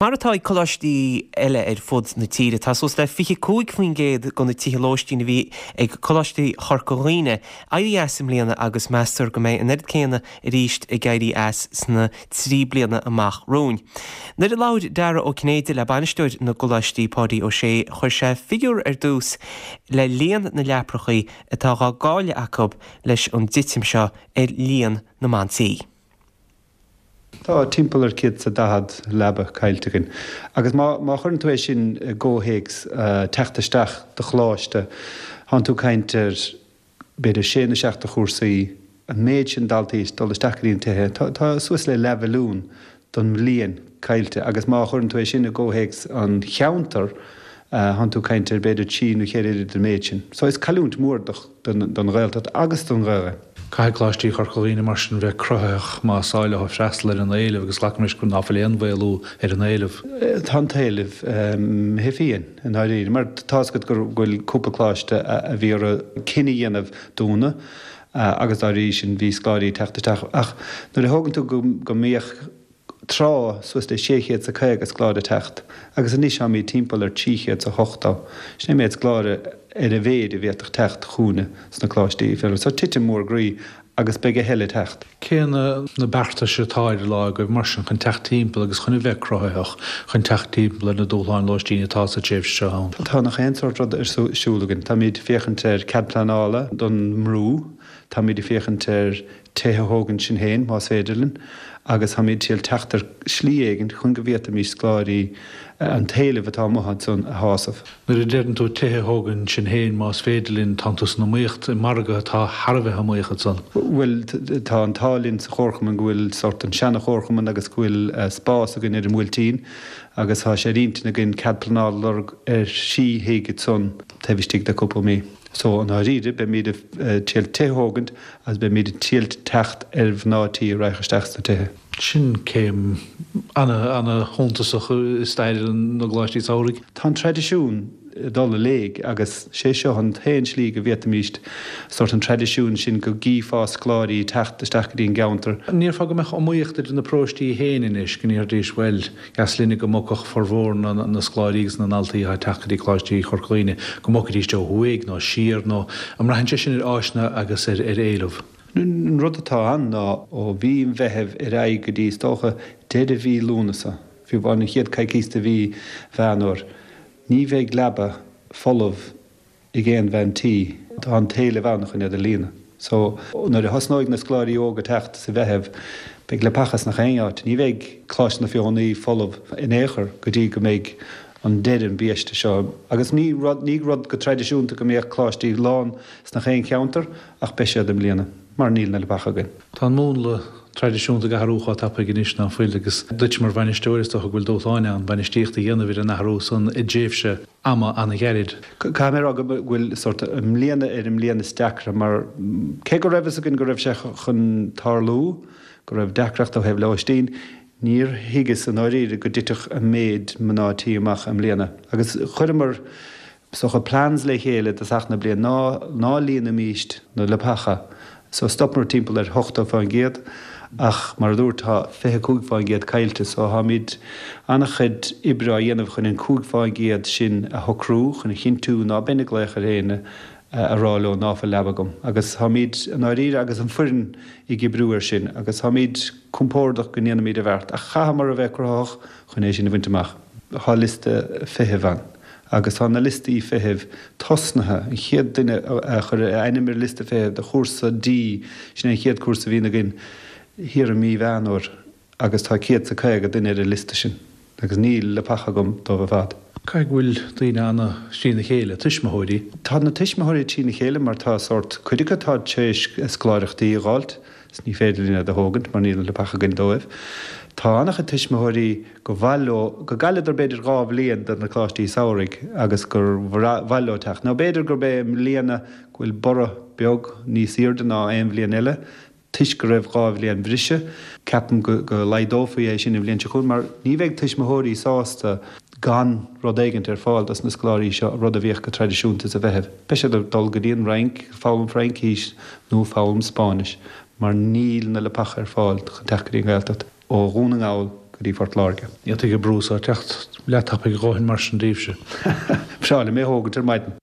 Mar atá ag coláistí eile ar fud na tíre, tá suas le 25% de na tithe lóistín a bhí ag Coláiste Chorca Dhuibhne éirithe as i mbliana agus meastar go mbeidh an oiread céanna arís ag éirí as sna 3 bliana amach romhainn. Nuair a labhair Dara Ó Cinnéide le bainisteoir na gcoláistí, Páidí Ó Sé, chuir sé figiúr ar dtús le líon na leaprachaí atá dhá gcailleadh acu leis an dtitim seo ar líon na mban tí. Tá timpeall ar 140 leaba caillte againn. Agus má má chuireann tú é sin i gcomhthéacs teacht isteach do choláiste, thánn tú ag caint ar b'fhéidir sé nó seacht de chúrsaí, an méid sin daltaí ag dul isteach go dtí na tithe, tá tá suas le leathmhilliún don mbliain caillte. Agus má chuireann tú é sin i gcomhthéacs an cheantair, thánn tú ag caint ar b'fhéidir trí nó cheithre oiread an méid sin. So is cailliúint mhór do. don Ghaeltacht agus don Ghaelainn. Caithfidh Coláistí Chorca Dhuibhne mar sin bheith cruthaitheach más áil leo freastal ar an éileamh agus glacaim leis ná fuil aon mhaolú ar an éileamh. Tá an t-éileamh imithe fiáin i ndáiríre mar tá's agat go bhfuil cúpla coláiste a bhí orthu cinneadh a dhéanamh dúnadh agus dá bhrí sin bhí scoláirí ag teacht isteach ach nuair a thógann tú go mbíodh tráth, suas le 650 scoláire ag teacht, agus anois táimid timpeall ar 380. Sin é an méid scoláire ar a mhéid a bhféadfadh teacht chugainne sna coláistí. So titim mhór groí agus beidh a thuilleadh ag teacht. Cé na beartais atá ar an lá agaibh mar sin chun teacht timpeall agus chun a bheith cruthaitheach chun teacht timpeall ar na dúshláin lóistín atá sa tréimhse seo ann? Tá nach aon sórt rud ar siúl againn. Táimid ag féachaint ar cead pleanála don mBrú, táimid ag féachaint ar tithe a thógaint sinn féin, más féidir linn, agus táimid ag triail teacht ar shlí éigin chun go bhféadfaimis scoláirí, an t-éileamh atá amuigh ansan a shásamh. Nuair a deireann tú tithe a thógaint sinn féin, más féidir linn, tánn tú san iomaíocht i margadh atá thar a bheith iomaíoch ansan. Bhuel, tá an t-ádh linn sa chomharchumann go bhfuil sórt an seana-chomharchumann agus go bhfuil spás againn ar an mBuailtín agus tá sé ar intinn againn cead pleanála a lorg ar thrí thigh ansan taobh istigh de cúpla mí. So, i ndáiríre, beimid ag triail tithe a thógaint agus beimid ag triail teacht ar mhná tí a raghadh isteach sna tithe. Sin céim ana-shuntasach i stair na gcoláistí samhraidh. Tá an traidisiún ag dul i léig agus sé seo an t-aon slí go bhféadfaimíst sórt an traidisiún sin go gcífeá scoláirí ag teacht isteach go dtí an gceantar. An ndéarfá go mbeadh iomaíocht idir na paróistí féin anois, go ndéarfaidís, bhuel, Dheas linne go mbogfadh formhór na scoláirí agus na ndaltaí atá ag teacht go dtí Coláistí Chorca Dhuibhne, go mbogfaidís ó thuaidh nó siar nó an mbraitheann sé sin ar áiseanna agus ar éileamh? An rud atá ann ná ó mhí an Mheithimh ar aghaidh go dtí is dócha deireadh mhí Lúnasa, fiú amháin an chéad coicís de mhí Mheán Fhómhair, ní bheidh leaba folamh ag aon bhean tí, tá an t-éileamh ann chun iad a líonadh. So, nuair a thosnóidh na scoláirí óga teacht sa Mheitheamh, beidh leapacha sna chaon áit. Ní bheidh Coláiste na Feothanaí folamh in aon chor go dtí go mbeidh an deireadh an biaiste seo. Agus ní rud, ní rud go traidisiúnta go mbeadh coláistí lán sna chaon cheantar ach beidh siad i mbliana, mar níl na leapacha againn. Tá an múnla traidisiúnta ag athrú chomh tapaidh anois ná fuil agus duit mar bhainisteoir is dócha go bhfuil dúshláin ann bainistíocht a dhéanamh ar an athrú san i dtréimhse ama an-ghairid. Caithfidh mé a rá go bhfuil sórt i mbliana ar an mbliain is deacra mar cé go raibh fhios againn go raibh sé chun tarlú, go raibh deacracht ó thaobh lóistín, níor thuigeas i ndáiríre go dtitfeadh an méid mná tí amach i mbliana. Agus chuireamar is dócha plans le chéile i dtosach na bliana, ná ná líonaimíst na leapacha. So stopamar timpeall ar 80% ach mar a dúirt tá 25% caillte so táimid an-chuid oibre á dhéanamh chun an 5% sin a shocrú chun a chinntiú ná beinn ag glaoch ar éinne a rá leo ná fuil leaba agam agus táimid i ndáiríre agus an foireann ag oibriú ar sin agus táimid compordach go ndéanfaimid an bheart ach chaitheamar a bheith cruthaitheach chun é sin a bhaint amach. Tá liosta feithimh ann. Agus tá na liostaí feithimh tosnaithe. An chéad duine a chuir a ainm ar liosta feithimh do chúrsa D, sin é an chéad cúrsa a bhíonn againn thiar i mí Mheán Fhómhair, agus tá 150 duine ar an liosta sin. Agus níl leapacha agam dóibh ar fad. Caithfidh go bhfuil daoine ana-thrína chéile, tuismitheoirí. Tá na tuismitheoirí trína chéile mar tá sórt, cuid acu atá tar éis scoláireachtaí a dh'fháilt, 's ní féidir linn iad a thógaint mar níl na leapacha againn dóibh. Tá an-chuid tuismitheoirí gur mhaith leo, go gcailleadar b'fhéidir 2 bhliain de na coláistí samhraidh agus gur mhaith leo teacht. Nó b'fhéidir gurb é i mbliana go bhfuil borradh beag níos airde ná aon bhliain eile toisc go raibh 2 bhliain bhriseadh. Ceapaim go laghdófaí é sin an bhliain seo chugainn mar ní bheidh tuismitheoirí sásta gan rud éigint ar fáil dos na scoláirí seo, rud a bhíodh go traidisiúnta sa Mheitheamh. Beidh siad ag dul go dtí an Fhrainc, foghlaim Fraincís nó foghlaim Spáinnis mar níl na leapacha ar fáil chun teacht go dtí an Ghaeltacht ó Dhún na nGall. go dtí Phort Láirge. Ní fhéadfaidh an brú so teacht leath tapaidh a dhóthain mar sin daoibhse. Breá liom é a thógaint ar maidin.